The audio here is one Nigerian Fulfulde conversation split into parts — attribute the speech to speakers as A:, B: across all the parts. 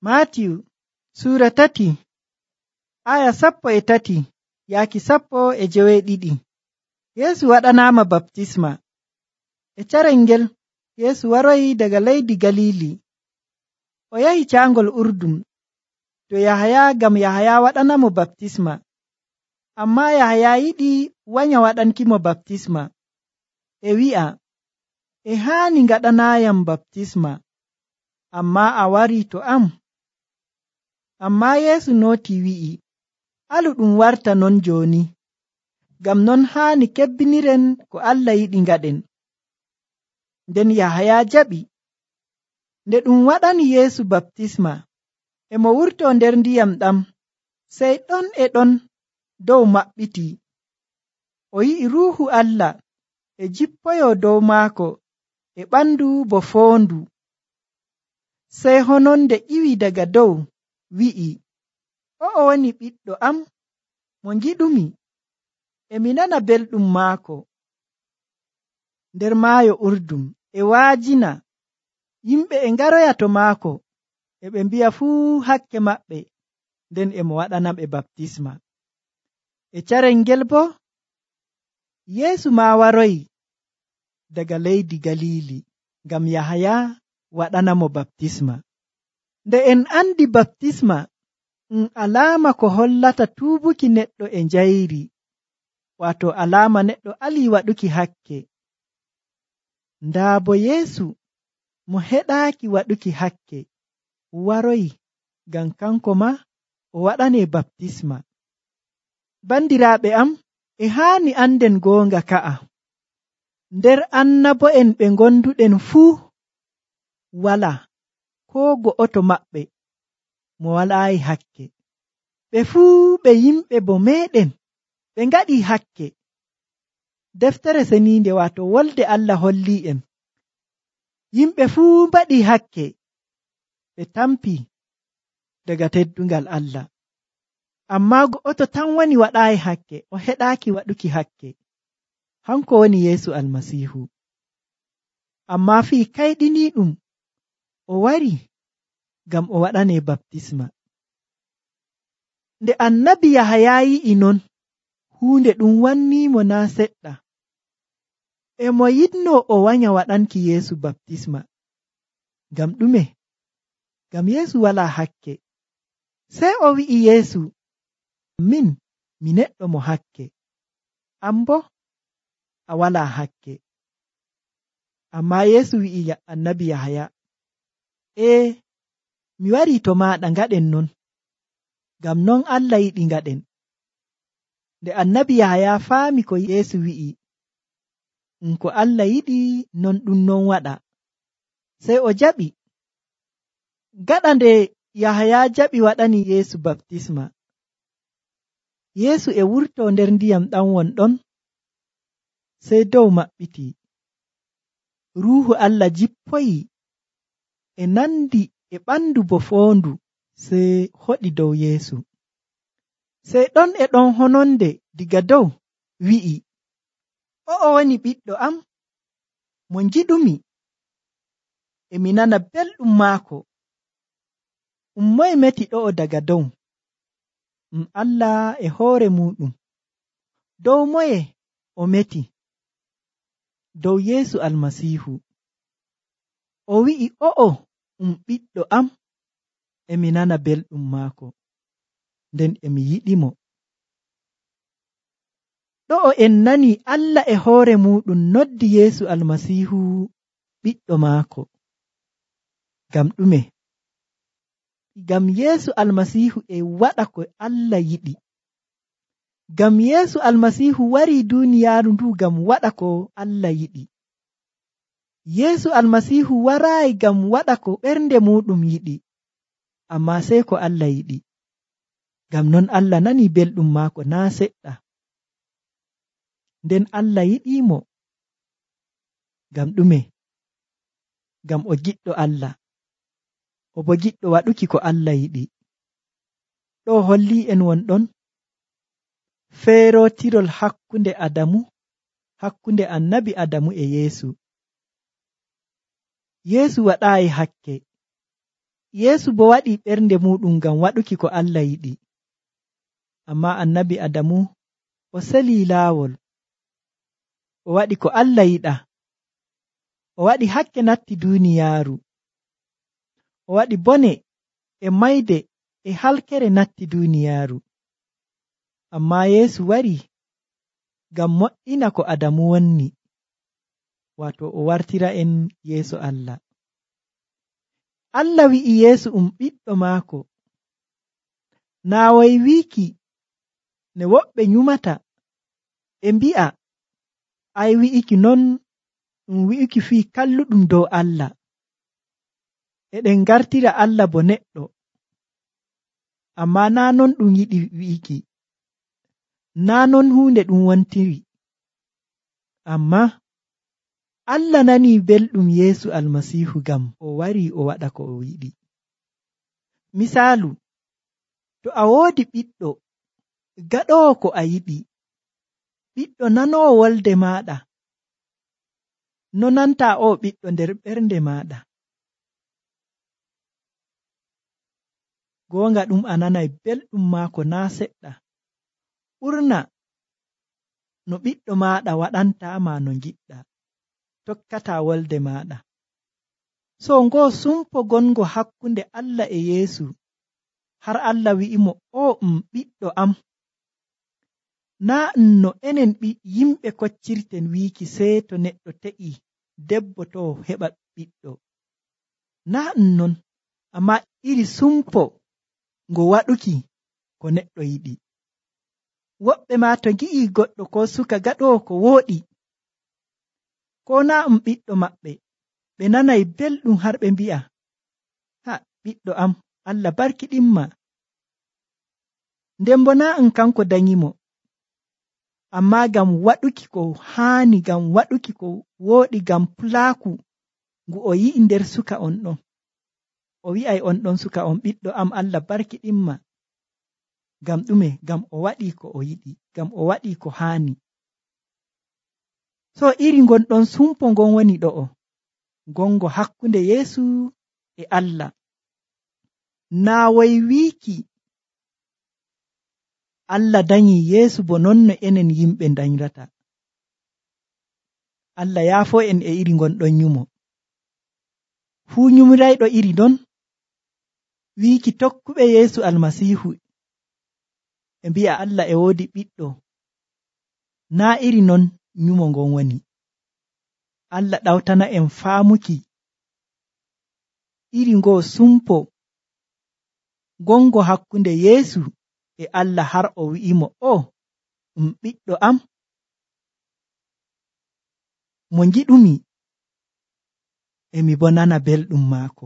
A: Maatiyu Suura 3 aya 13 yaaki 12. Yeesu waɗanaama baptisma. E carel ngel Yeesu waroyi daga leydi Galili. O yahi caangol Urdun to Yahaya ngam Yahaya waɗanamo baptisma. Ammaa Yahaya yiɗi wanya waɗankimo baptisma. E wi'a, e haani ngaɗanaayam baptisma, ammaa a warii to am. Ammaa Yeesu nootii wi'i, alu ɗum warta non jooni, ngam non haani kebbiniren ko Allah yiɗi ngaɗen. Nden Yahaya jaɓi. Nde ɗum waɗani Yeesu baptisma, e mo wurtoo nder ndiyam ɗam, sey ɗon e ɗon dow maɓɓitii. O yi'i Ruuhu Allah e jippoyoo dow maako e ɓandu bo foondu. Sey hononde ƴiwi daga dow wi'i, o'o woni ɓiɗɗo am mo ngiɗumi, e mi nana belɗum maako. Nder maayo Urdun e waajina, yimɓe e ngaroya to maako, e ɓe mbi'a fuu hakke maɓɓe, nden e mo waɗanaɓe baptisma. E carel ngel boo Yeesu maa waroyi daga leydi Galili ngam Yahaya waɗanamo baptisma. Nde en andi baptisma alaama ko hollata tuubuki neɗɗo e njayri, waato alaama neɗɗo alii waɗuki hakke. Ndaa bo Yeesu mo heɗaaki waɗuki hakke waroyi ngam kanko maa o waɗanee baptisma. Bandiraaɓe am, e haani anden goonga ka'a. Nder annabo'en ɓe ngonduɗen fuu walaa koo go'oto maɓɓe mo walaayi hakke. Ɓe fuu ɓe yimɓe bo meeɗen ɓe ngaɗii hakke. Deftere Seniinde waato Wolde Allah hollii'en yimɓe fuu mbaɗii hakke, ɓe tampii daga teddungal Allah. Ammaa go'oto tan woni waɗaayi hakke, o heɗaaki waɗuki hakke. Hanko woni Yeesu Almasiihu. Ammaa fii kayɗiniiɗum o warii ngam o waɗanee baptisma. Nde annabi Yahaya yi'i non, huunde ɗum wanniimo naa seɗɗa. E mo yiɗnoo o wanya waɗanki Yeesu baptisma. Ngam ɗume? Ngam Yeesu walaa hakke. Sey o wi'i Yeesu, min mi neɗɗo mo hakke, an boo a walaa hakke. Ammaa Yeesu wi'i annabi Yahaya, mi warii to maaɗa ngaɗen non, ngam non Allah yiɗi ngaɗen. Nde annabi Yahaya faami ko Yeesu wi'i, ko Allah yiɗi non ɗum non waɗa, sey o jaɓi. Gaɗa nde Yahaya jaɓi waɗani Yeesu baptisma, Yeesu e wurtoo nder ndiyam ɗam wonɗon, sey dow maɓɓitii. Ruuhu Allah jippoyi e nandi e ɓandu bo foondu, sey hoɗi dow Yeesu. Sey ɗon e ɗon hononde diga dow wi'i, o'o woni ɓiɗɗo am mo ngiɗumi, e mi nana belɗum maako. Moye meti ɗo'o daga dow? Allah e hoore muuɗum. Dow moye o meti? Dow Yeesu Almasiihu. O wi'i, o'o ɓiɗɗo am, e mi nana belɗum maako, nden e mi yiɗimo. Ɗo'o en nanii Allah e hoore muuɗum noddi Yeesu Almasiihu ɓiɗɗo maako. Ngam ɗume? Ngam Yeesu Almasiihu e waɗa ko Allah yiɗi. Ngam Yeesu Almasiihu warii duuniyaaru ndu ngam waɗa ko Allah yiɗi. Yeesu Almasiihu waraayi ngam waɗa ko ɓernde muuɗum yiɗi, ammaa sey ko Allah yiɗi. Ngam non Allah nanii belɗum maako naa seɗɗa. Nden Allah yiɗiimo. Ngam ɗume? Ngam o giɗɗo Allah, o bo giɗɗo waɗuki ko Allah yiɗi. Ɗo hollii en wonɗon feerootirol hakkunde annabi Adamu e Yeesu. Yeesu waɗaayi hakke, Yeesu bo waɗi ɓernde muɗum ngam waɗuki ko Allah yiɗi. Amma annabi Adamu o selii laawol, o waɗi ko Allah yiɗa, o waɗi hakke natti duuniyaaru, o waɗi bone e mayde e halkere natti duuniyaaru. Amma Yeesu wari ngam mo'ina ko Adamu wonni, wato o wartira en yeeso Allah. Allah wi'i Yeesu ɓiɗɗo maako, naa way wiiki ne woɓɓe nyumata ɓe mbi'a ay wi'iki non ɗum wi'uki fii kalluɗum dow Allah, eɗen ngartira Allah bo neɗɗo. Amma naa non ɗum yiɗi wi'iki, naa non huunde ɗum wontiri. Amma Allah nanii belɗum Yeesu Almasiihu ngam o wari o waɗa ko o yiɗi. Misaalu, to a woodi ɓiɗɗo gaɗoowo ko a yiɗi, ɓiɗɗo nanoowo wolde maaɗa, no nanta o ɓiɗɗo nder ɓernde maaɗa? Goonga ɗum a nanay belɗum maako naa seɗɗa, ɓurna no ɓiɗɗo maaɗa waɗantaama no ngiɗɗa, tokkataa wolde maaɗa. So ngoo sumpo gongo hakkunde Allah e Yeesu, har Allah wi'imo o ɓiɗɗo am. Naa no enen yimɓe koccirten wiiki sey to neɗɗo te'i debbo to heɓa ɓiɗɗo. Naa non, amma iri sumpo ngo waɗuki ko neɗɗo yiɗi. Woɓɓe maa to ngi'i goɗɗo ko suka gaɗoowo ko wooɗi, ko naa ɓiɗɗo maɓɓe, ɓe nanay belɗum har ɓe mbi'a, ha ɓiɗɗo am, Allah barkiɗinma. Nden bo naa kanko danyimo, amma ngam waɗuki ko haani, ngam waɗuki ko wooɗi, ngam pulaaku ngu o yi'i nder suka on ɗon. O wi'ay on ɗon suka on, ɓiɗɗo am, Allah barkiɗinma. Ngam ɗume? Ngam o waɗi ko o yiɗi, ngam o waɗi ko haani. So iri ngon ɗon sumpo ngon woni ɗo'o, gongo hakkunde Yeesu e Allah. Naa way wiiki Allah danyi Yeesu bo non no enen yimɓe danyrata. Allah yaafo en e iri ngon ɗon nyumo. Fuu nyumirayɗo iri non, wiiki tokkuɓe Yeesu Almasiihu e mbi'a Allah e woodi ɓiɗɗo, naa iri non nyumo ngon woni. Allah ɗawtana en faamuki iri ngoo sumpo gongo hakkunde Yeesu e Allah, har o wi'imo o ɓiɗɗo am mo ngiɗumi, emi bo nana belɗum maako.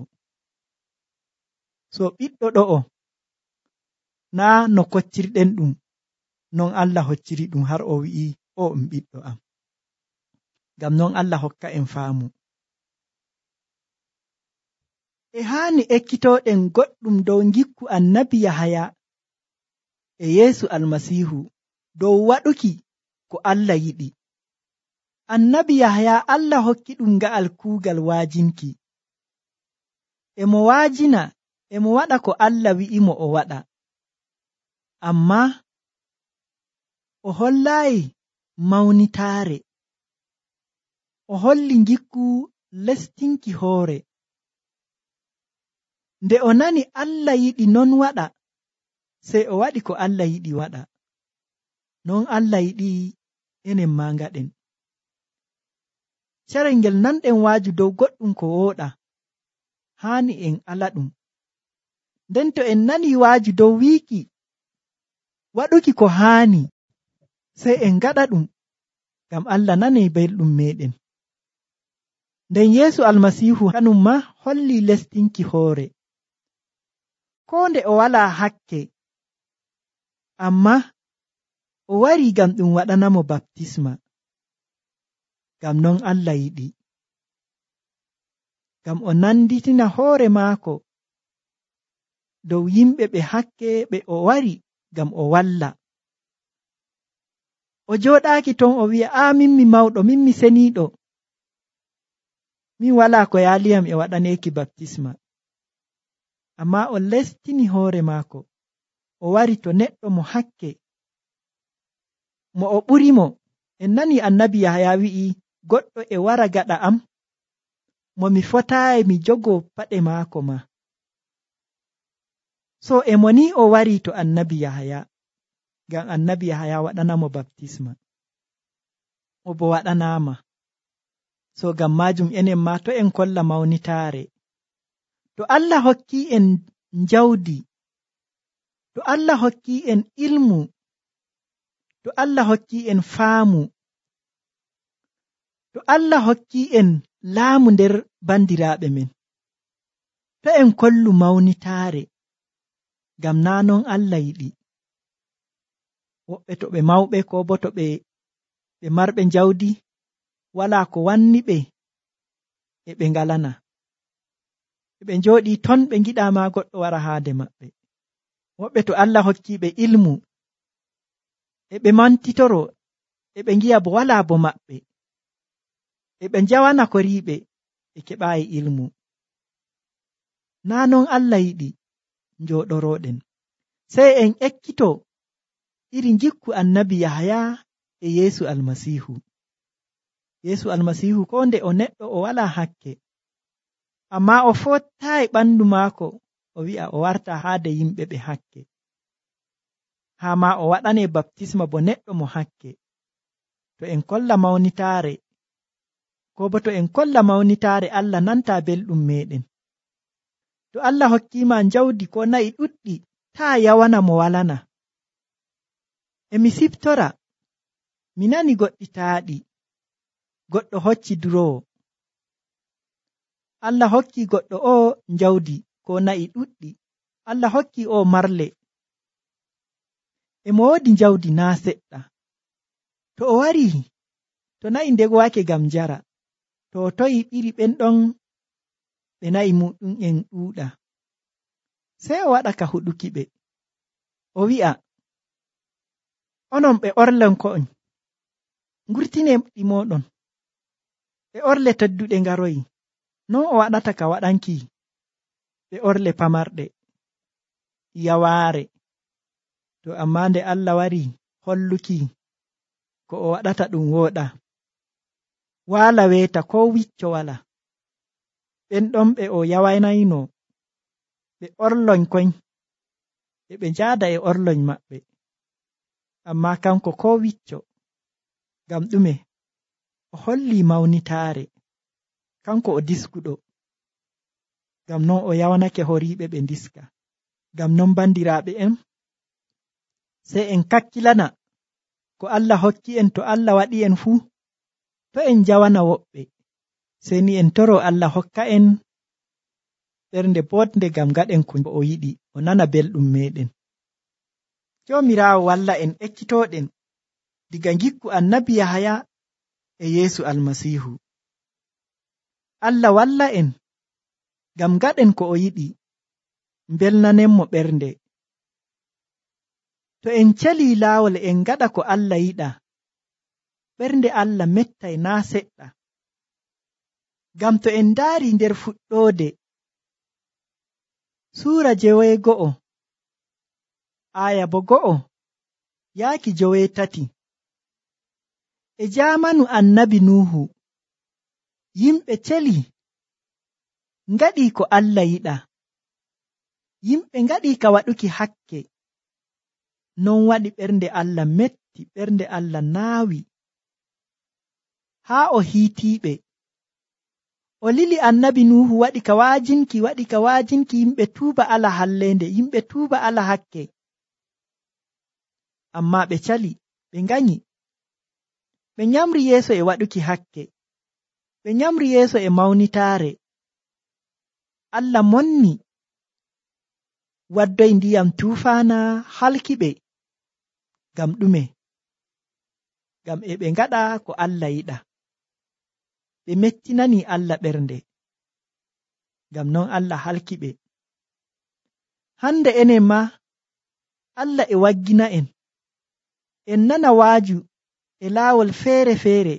A: So ɓiɗɗo ɗo'o naa no koccirɗen ɗum, non Allah hocciri ɗum har o wi'i o ɓiɗɗo am. Ngam non Allah hokka en faamu. E haani ekkitooɗen goɗɗum dow ngikku annabi Yahaya e Yeesu Almasiihu dow waɗuki ko Allah yiɗi. Annabi Yahaya Allah hokki ɗum nga'al kuugal waajinki. Emo waajina, emo waɗa ko Allah wi'imo o waɗa. Amma o hollaayi mawnitaare. O holli ngikku lestinki hoore. Nde o nani Allah yiɗi non waɗa, sey o waɗi ko Allah yiɗi waɗa. Non Allah yiɗi enen maa ngaɗen. Carel ngel nanɗen waaju dow goɗɗum ko wooɗa, haani en ala ɗum. Nden to en nani waaju dow wiiki waɗuki ko haani, sey en ngaɗa ɗum, ngam Allah nanay belɗum meɗen. Nden Yeesu Almasiihu kanum ma holli lestinki hoore. Koo nde o walaa hakke, amma o wari ngam ɗum waɗanamo baptisma. Ngam non Allah yiɗi. Ngam o nanditina hoore maako dow yimɓe ɓe hakke ɓe o wari ngam o walla. O jooɗaaki ton o wi'a, min mi mawɗo, min mi seniiɗo, min walaa ko yaaliyam e waɗaneeki baptisma. ammaa o lestini hoore maako o wari to neɗɗo mo hakke mo o ɓurimo. En nani annabi Yahaya wi'i goɗɗo e wara gaɗa am mo mi fotaayi mi jogo paɗe maako ma. So e mo ni o wari to annabi Yahaya ngam annabi Yahaya waɗanamo baptisma o bo waɗanaama. So ngam majum enen ma to en kolla mawnitaare. To Allah hokki en njawdi, to Allah hokki en ilmu, to Allah hokki en faamu, to Allah hokki en laamu nder bandiraaɓe men, to en kollu mawnitaare, ngam naa non Allah yiɗi. Woɓɓe to ɓe mawɓe ko bo to ɓe marɓe njawdi walaa ko wanni ɓe e ɓe ngalana. Ɓe njooɗii ton ɓe ngiɗaa ma goɗɗo wara haade maɓɓe. Woɓɓe to Allah hokki ɓe ilmu e ɓe mantitoro e ɓe ngi'a bo walaa bo maɓɓe, e ɓe njawana ko riiɓe ɓe keɓaayi ilmu. Naa non Allah yiɗi njooɗorooɗen. Sey en ekkito iri njikku annabi Yahaya e Yeesu Almasiihu. Yeesu Almasiihu ko nde o neɗɗo o walaa hakke, ammaa o fottaayi ɓandu maako o wi'a o warta haade yimɓe ɓe hakke, haa ma o waɗane baptisma bo neɗɗo mo hakke. To en kolla mawnitaare, ko bo to en kolla mawnitaare Allah nanta belɗum meɗen. To Allah hokkiima njawdi ko nayi ɗuɗɗi, taa yawana mo walana. E mi siftora, mi nani goɗɗi taaɗi, goɗɗo hocci duroowo. Allah hokki goɗɗo o njawdi ko nayi ɗuɗɗi, Allah hokki o marle. E mo woodi njawdi naa seɗɗa. To o wari, to nayi ndegowake ngam njara, to o toyi ɓiri ɓen ɗon ɓe nayi muɗum en ɗuuɗa, sey o waɗa ka huɗuki ɓe. O wi'a, onon ɓe orlenko'on, ngurtine ɗi moɗon, ɓe orle tedduɗe ngaroyi. Non o waɗata ka waɗanki ɓe orle pamarɗe yawaare. To ammaa nde Allah wari holluki ko o waɗata ɗum wooɗa, waala weeta ko wicco wala, ɓen ɗon ɓe o yawanayno ɓe orloñ koñ, e ɓe njaada e orloñ maɓɓe, ammaa kanko ko wicco. Ngam ɗume? O holli mawnitaare, kanko o diskuɗo. Ngam non o yawanake horiiɓe ɓe ndiska. Ngam non bandiraaɓe en, sey en kakkilana ko Allah hokki en. To Allah waɗi en fuu, to en njawana woɓɓe, sey ni en toro Allah hokka en ɓernde boɗnde ngam gaɗen ko o yiɗi, o nana belɗum meɗen. Joomiraawo walla en ekkitooɗen diga ngikku annabi Yahaya e Yeesu Almasiihu. Allah walla en ngam gaɗen ko o yiɗi, mbelnanenmo ɓernde. To en calii laawol en ngaɗa ko Allah yiɗa, ɓernde Allah mettay naa seɗɗa. Ngam to en ndaari nder fuɗɗoode suura 9 aya bo 1 yaaki 3, e jaamanu annabi Nuuhu, yimɓe celi ngaɗii ko Allah yiɗa, yimɓe ngaɗii ka waɗuki hakke. Non waɗi ɓernde Allah metti, ɓernde Allah naawi, haa o hiitiiɓe. O lili annabi Nuuhu waɗi ka waajinki yimɓe tuuba ala halleende, yimɓe tuuba ala hakke. Ammaa ɓe cali, ɓe nganyi, ɓe nyamri yeeso e waɗuki hakke, ɓe nyamri yeeso e mawnitaare. Allah monni waddoy ndiyam tuufaana halki ɓe. Ngam ɗume? Ngam e ɓe ngaɗa ko Allah yiɗa, ɓe mettinani Allah ɓernde. Ngam non Allah halki ɓe. Hande enen ma Allah e waggina en, en nana waaju e laawol feere-feere,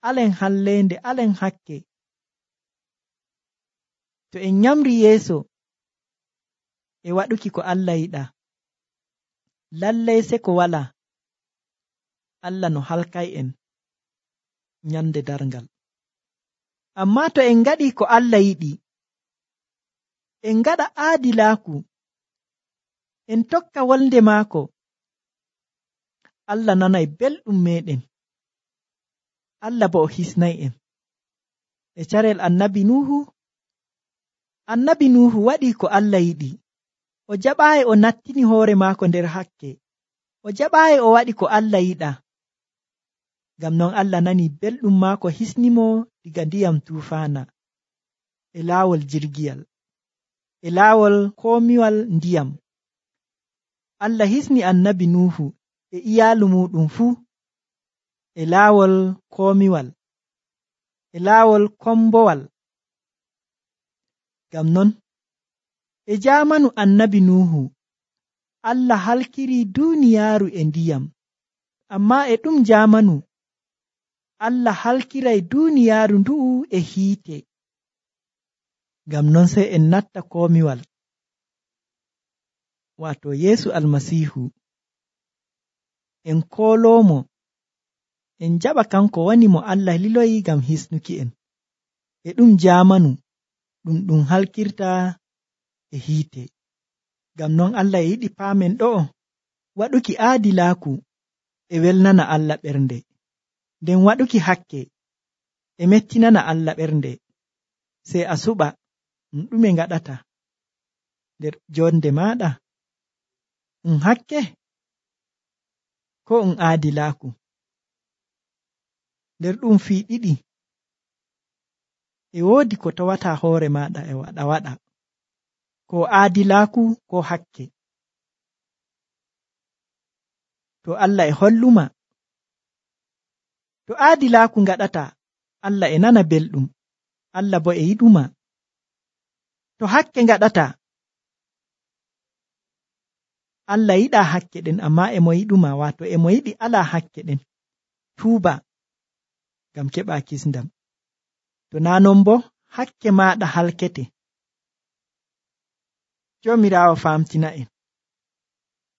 A: alen halleende, alen hakke. To en nyamri yeeso e waɗuki ko Allah yiɗa, lallay se ko wala Allah no halkay en nyande darngal. Amma to en ngaɗi ko Allah yiɗi, en ngaɗa aadilaaku, en tokka wolde maako, Allah nanay belɗum meɗen, Allah bo o hisnay en. E carel annabi Nuhu waɗi ko Allah yiɗi, o jaɓaayi o nattini hoore maako nder hakke, o jaɓaayi o waɗi ko Allah yiɗa. Ngam non Allah nani belɗum maako, hisnimo diga ndiyam tuufaana, e laawol jirgiyal, e laawol koomiwal ndiyam. Allah hisni annabi Nuhu e iyaalu muɗum fuu e laawol koomiwal, e laawol kombowal. Ngam non e jaamanu annabi Nuhu, Allah halkiri duuniyaaru e ndiyam, amma e ɗum jaamanu Allah halkiray duuniyaaru ndu'u e hiite. Ngam non sey en natta koomiwal, waato Yeesu Almasiihu, en kooloomo, en jaɓa kanko woni mo Allah liloyi ngam hisnuki en. E ɗum jaamanu ɗum halkirta e hiite. Ngam non Allah e yiɗi paamen ɗo'o, waɗuki aadilaaku e welnana Allah ɓernde, nden waɗuki hakke e mettinana Allah ɓernde. Sey a suɓa ɗume ngaɗata nder jonde maaɗa, hakke ko aadilaaku. Nder ɗum fii ɗiɗi e woodi ko tawata hoore maaɗa e waɗa, ko aadilaaku ko hakke. To Allah e holluma, to aadilaaku ngaɗata, Allah e nana belɗum, Allah bo e yiɗuma. To hakke ngaɗata, Allah yiɗa hakke ɗen, amma e mo yiɗuma, waato e mo yiɗi ala hakke ɗen. Tuuba ngam keɓa kisndam. To naa non bo hakke maaɗa halkete. Joomiraawo famtina en.